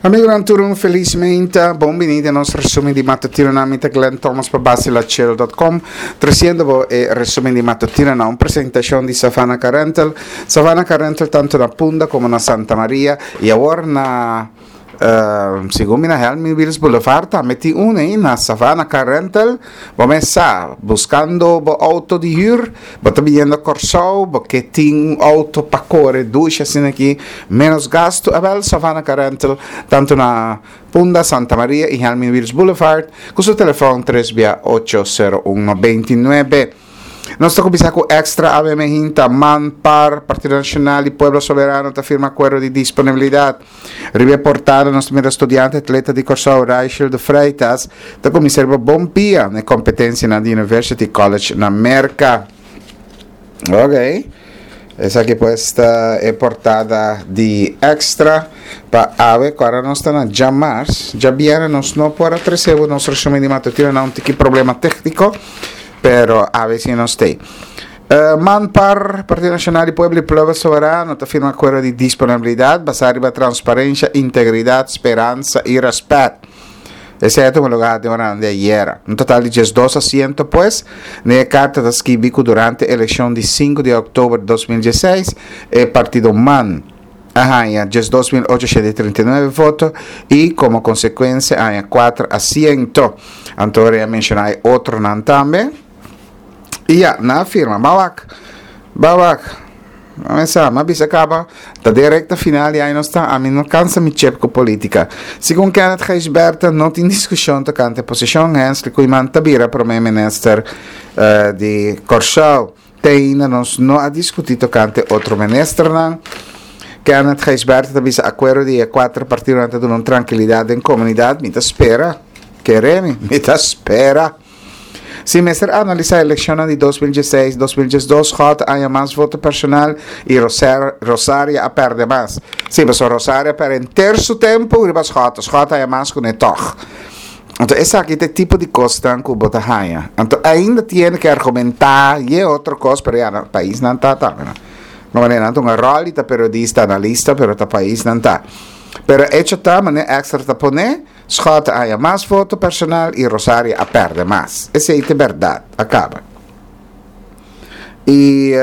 Amigonan tur un felis meinta, bon bini den nos resumen di matutinonan. Mi ta Glenn Thomas pa basilachelo.com, treciendo bo e resumen di matutinonan, un presentacion di Savannah Car Rental. Savannah Car Rental tanto na Punda como na Santa Maria y awor na Segun mi na Helmin Wiels Boulevard tambe tin un ei na Savannah Car Rental. Bo mes sa, buskando bo outo di hür, bo ta biniendo Kòrsou, bo ke tin un outo pa kore dushi asina aki, ménos gastu, awèl Savannah Car Rental tantu na Punda, Santa Maria i Helmin Wiels Boulevard ku su telefòn tres bia ocho sero un 99. Nos ta kuminsá ku Extra ABM Hinta, Man, par, Partido Nacional i Pueblo Soberano ta firma akuerdo di disponibilidat. Riba e portada nos ta mira studiante atleta di Kòrsou Raichel de Freitas ta kuminsá riba bon pia na e kompetensianan di University College na Merka. Ok, esaki pues ta e portada di Extra pa awe ku ora nos ta na djamars. Djabièrnè nos no por a trese bo nos resumen di matutino na un tiki problema tékniko. Pero awe si nos t'ei. Man par Partido Nacional di Pueblo y Pueblo Soberano ta firma acuerdo di disponibilidad basá riba transparencia, integridad, speransa y respet. Esei a tuma lugar den oranan di ayera. Un total di diesdos asiento pues. Den e carta ta skibi cu durante eleccion di sinku di october di 2016 e partido man a haña 12.839 voto y como consecuencia a haña 4 asiento. Anto a menciona e otronan tambe. Y ya, nan a firma. Ba wak, ba wak. Mesa, m'a bisa caba, ta den recta final y ay nos ta, ami no cansa mi chep cu politica. Segun Kenneth Gijsbertha no tin discusion tocante posicion, Hensley Koeiman ta bira prome minister uh, di Kòrsou. Te ainda nos no a diskutí tokante otro ministernan. Kenneth Gijsbertha ta bisa akuerdo di e kuater partidonan ta duna un trankilidat den komunidat. Mi ta spera. Kere mi, mi ta spera. Si mester analisá elekshonnan di 2016, 2012, Schotte a haña mas voto personal i Rosaria a pèrdè mas. Sí, pasobra Rosaria a pèrdè henter su tempu riba Schotte. Schotte a haña mas kuné tòg. Anto esaki ta e tipo di kosnan ku bo ta haña. Anto ainda tiene ke argumentá ye otro kos, pero ya na paisnan ta tambe no. No manera nan ta un ròl di ta periodista, analista, pero ta paisnan ta. Pero echo ta manera Extra ta pone, Schotte a haña mas voto personal i Rosaria a pèrdè mas. Esei ta e bèrdat. A kaba. I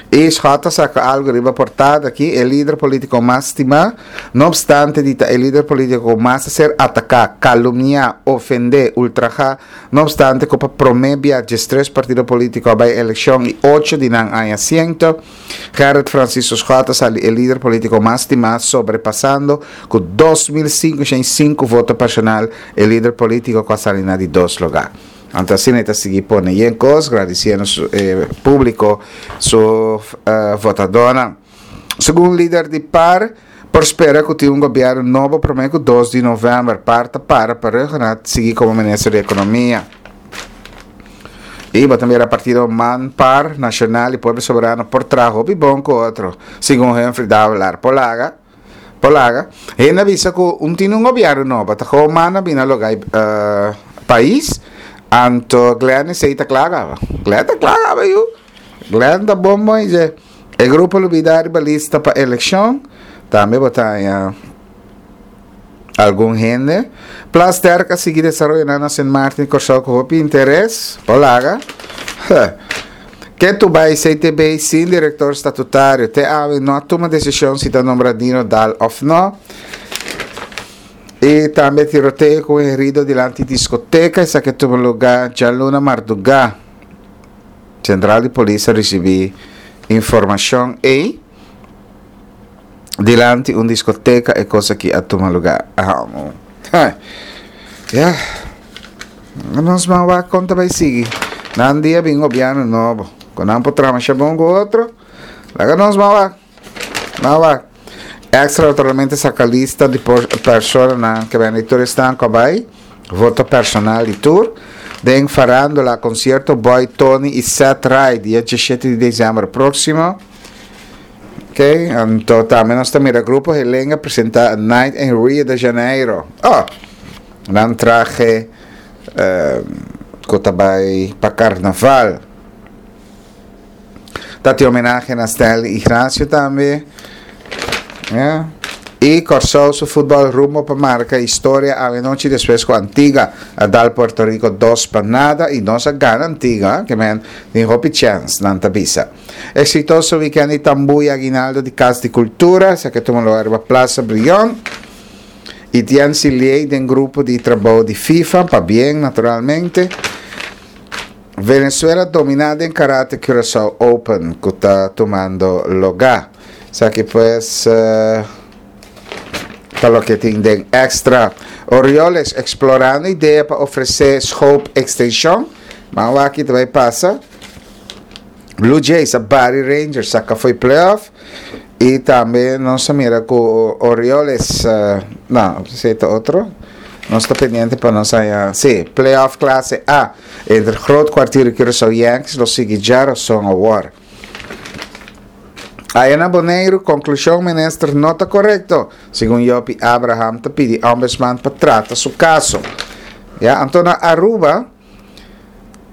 i Schott a saka algu riba portada aki, e lider politiko mas stimá, no opstante di ta e lider politiko ku mas a ser ataká, kalumniá, ofendé, ultrahá, no opstante ku pa promé bia diestres partido politiko a bai elekshon i ocho di nan aña siento, Gerrit Francisco Schott a sali e lider politiko mas stimá sobrepasando ku 2505 voto personal e lider politiko ku a sali na di dos lugá. Anto asina e ta sigui pone yen kos, gradisiendo su e públiko, su votadónan. Segun lider di par, por spera ku tin un gobièrnu nobo promé ku dos di novèmber. Par ta para pa Rhuggenaath sigui komo minister di Ekonomia. I bo ta mira partido man, par, Nashonal i Pueblo Soberano por traha hopi bon ku otro, segun Humphrey Davelaar. Por laga. Por laga. Hende a bisa ku un tin un gobièrnu nobo, ta gewoon manda bini a loga e pais, anto Glenn esei ta kla kaba. Glenn ta kla kaba yu. Glenn ta bon bon dje. E grupo lo bida riba lista pa elekshon, tambe bo ta haña algun hende. Plasterk a sigui desaroyonan na Sint Maarten i Kòrsou ku hopi interes. Por laga. Ke tu bai CTB sin direktor statutario? Te awe no a tuma desishon si ta nombra Dino Daal òf no. I tambe tiroteo ku un herido dilanti diskoteka, esaki a tuma lugá djaluna mardugá. Sentral di polis a risibí informashon ei. Dilanti un diskoteka e kos aki a tuma lugá. Ya. Nos ban wak kon ta bai sigui. Nan dia bin gobièrnu nobo. Ku nan por traha masha bon ku otro. Laga nos ban wak. Ban wak. Extra naturalmente saka lista di personanan ke bende tur esnan ku a bai. Voto personal di tur. Den farándula konsierto Boy Tony i Seth Rai dia 17 di desèmber próksimo. Ok, anto tambe nos ta mira Grupo Helenga presenta A Night in Rio de Janeiro. Oh, nan trahe uh, ku ta bai pa carnaval. Ta tin homenahe na Stanley Ignacio tambe. Yeah. I Kòrsou su futbòl rumbo pa marka historia awenochi despues ku Antigua a dal Puerto Rico 2-0 i nos a gana Antigua, ke men tin hopi chèns, nan ta bisa. Eksitoso wikènt di tambú i aguinaldo di Kas di Kultura, esaki a tuma lugar riba Plaza Brion. Etienne Siliey den grupo di trabou di FIFA, pabien naturalmente. Venezuela dominá den Karate Curaçao Open ku ta tumando logá. Esaki pues ta loke tin den extra. Orioles eksplorando idea pa ofresé Schoop ekstenshon. Ban wak ki ta bai pasa. Blue Jays a bari Rangers saka fo'i playoff. I tambe nos a mira ku Orioles, no, esei ta otro. Nos ta pendiente pa nos haña, sí, playoff klase A entre Groot Kwartier i Curaçao Yankees lo sigui djarason awor. Aya na Boneiru, konklushon minister no ta korekto, segun Jopie Abraham ta pidi Ombudsman pa trata su kaso. Ya, anto na Aruba,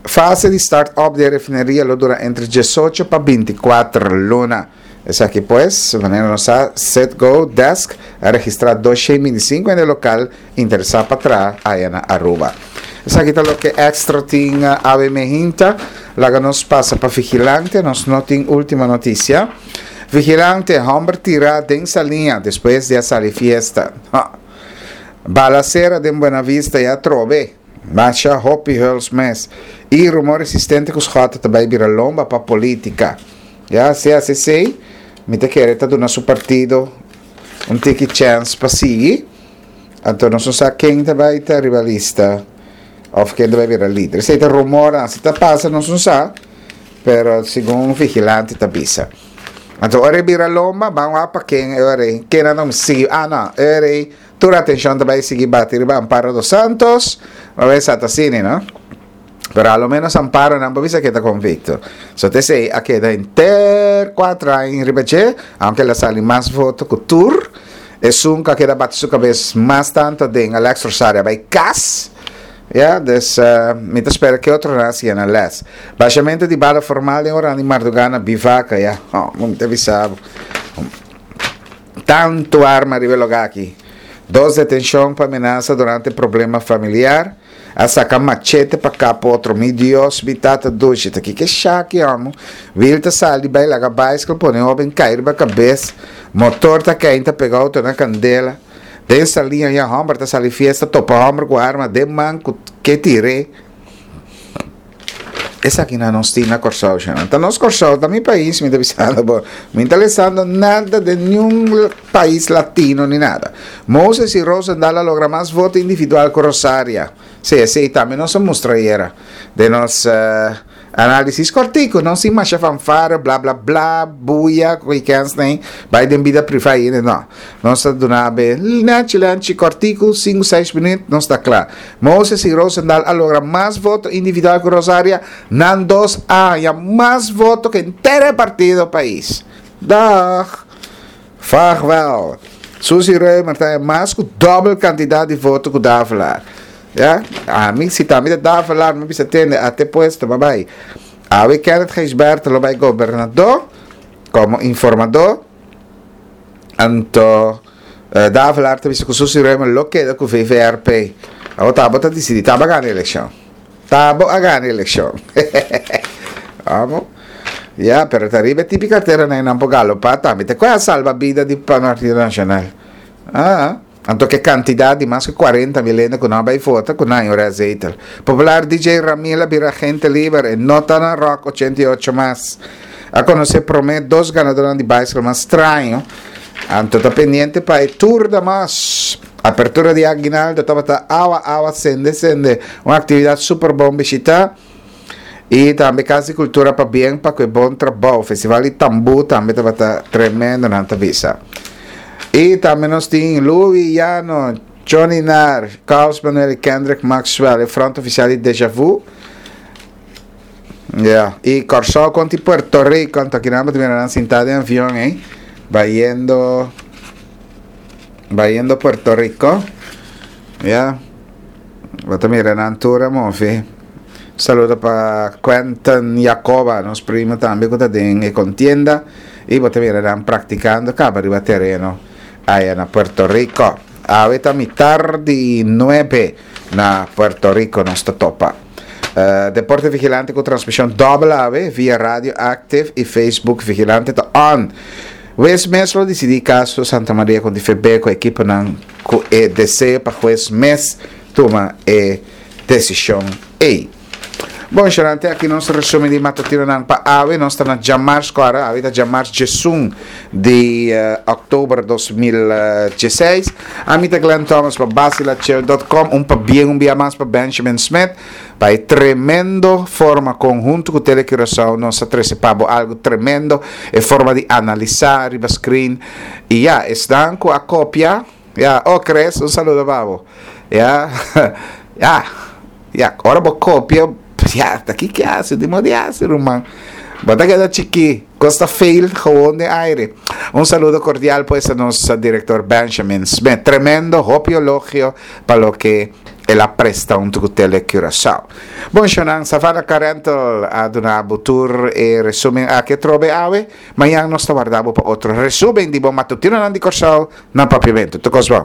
Fase di start up di e refineria lo dura entre 18 pa 24 luna. Esaki pues, manera nos sa, Citgo Desk a registra 225 hende lokal interesá pa traha aya na Aruba. Esaki ta loke Extra tin awe mehinta. Laga nos pasa pa Vigilante, nos no tin ultima noticia. Vigilante, homber tira den saliña despues di a sali fiesta. Balacera den Buena Vista ya trobe. Masha hopi huls mes. I rumor existente ku Schotte ta bai bira lomba pa politica. Ya, si hasi esei, mi ta kere ta duna su partido un tiki chance pa sigui. Anto nos no sa ken ta bai ta riba lista of ken ta bai bira lider. Esei ta rumornan, si ta pasa nos no sa, pero segun vigilante ta bisa. Anto ora e bira lomba, ban wak pa ken e ora ei, ken nan ta sigui. Ah no, e ora ei Tur atencion ta bay sigui bati riba Amparo dos Santos. Ma bay sa ta asina, no? Pero a lo menos Amparo nan por bisa ke ta convicto. So te esey a keda henter cuatro aña riba dje, aunke el a sali mas voto cu tur. Esun cu a keda bati su cabes mas tanto den Alex Rosario a bay cas. Ya, dus mi ta spera ke otronan a siña nan les. Bashamento di bala formal den ora di marduga na Bivaca, ya. Oh, mi ta bisa bo. Tantu arma riba e lugá aki. Dos detenshon pa menasa durante problema familiar. A saka machete pa kap otro. Mi Dios, mi tata dushi, ta kiko e shaki homo? Wil ta sali bai laga baiskel pone hoben kai riba kabes. Motor ta keinta pega auto na kandela. Den saliña ya homber ta sali fiesta topa homber ku arma den man ku ke tir'é. Esakinan nos tin na Kòrsou shana. Ta nos Kòrsou, ta mi pais mi ta bisando bo. Mi ta lesando nada den niun pais latino ni nada. Moses i Rosendal a logra mas voto individual ku Rosaria. Sí, esei tambe nos a mustra ayera den nos análisis kòrtiku. No sin masha fanfare, bla bla bla, buya ku e kènsnan ei bai den bida privá i hende. No. Nos ta duna be nèchi lènchi kòrtiku, sinku seis minüt, nos ta kla. Moses i Rosendal a logra mas voto individual ku Rosaria, nan dos a haña mas voto ku henter e partido pais. Dag! Vaarwel! Suzy Römer ta haña mas ku dòbel kantidat di voto ku Davelaar. Ya, ami si ta ami ta Davelaar mi bisa tende a te puesto, babai. Awe Kenneth Gijsbertha lo bai gobernadó komo informadó. Anto Davelaar ta bisa ku Suzy Römer lo keda ku VVRP. Abo ta abo ta disidí, ta abo a gana elekshon. Ta abo a gana elekshon. Amo. Ya, pero ta riba e tipi karteranan nan por galopá tambe. Te kua a salba bida di Partido Nashonal? Ah. Anto ke kantidat di mas ku 40.000 hende ku no a bai vota ku nan a zetel. Popular DJ Ramil a bira agente liber, e no ta na Rock 88 mas. A konosé promé dos ganadónan di baiskel mas straño. Anto ta pendiente pa e Tour de Mas. Apertura di Aguinaldo tabata awa awa sende sende. Un aktividat super bon bishitá. I tambe Kas di Kultura pabien pa ku e bon trabou. Festival di Tambú tambe tabata tremendo nan ta bisa. I tambe nos tin Louis Llano, Johnny Nar, Carlos Manuel i Kendrick Maxwell, e front ofisial di Deja Vu. Ya, i Kòrsou kontra Puerto Rico, anto akinan bo ta mira nan sintá den avion ei, bayendo bayendo Puerto Rico. Ya. Bo ta mira nan tur a move. Saludo pa Quentin Jacoba, nos primo tambe ku ta den e kontienda. I bo ta mira nan praktikando kaba riba tereno. Aya na Puerto Rico. Awe ta mitar di nuebe na Puerto Rico nos ta topa. Deporte Vigilante ku transmishon dòbel awe via Radio Active i Facebook Vigilante ta on. Hues mes lo disidí kaso Santa Maria ku DFB ku ekiponan ku e deseo pa hues mes tuma e desishon ei. Bon, Sharante, aki nos resumen di matutinonan pa awe. Nos ta na djamars kora, awe ta djamars djesun di oktober 2016. Ami ta Glenn Thomas pa basilachel.com. Un pabien un bia mas pa Benjamin Smith pa e tremendo forma kon huntu ku Tele Curaçao nos a trese pa bo algu tremendo, e forma di analisa riba screen. I ya, esnan ku a kopia, ya, oh Chris, un saludo pa bo. Ya, ya. Ya, ora bo kopia, ya, ta ki ke hasi, di modo di hasi, ruman. Bo ta keda chikí, kos ta fail gewoon den aire. Un saludo kordial pues a nos direktor Benjamin Smith. Tremendo, hopi elogio pa loke el a presta huntu ku Tele Curaçao. Bon shownan, Savannah Car Rental a duna bo tur e resumen aki atrobe awe. Mañan nos ta warda bo pa otro resumen di bo matutinonan di Kòrsou na Papiamentu. Tur kos bon.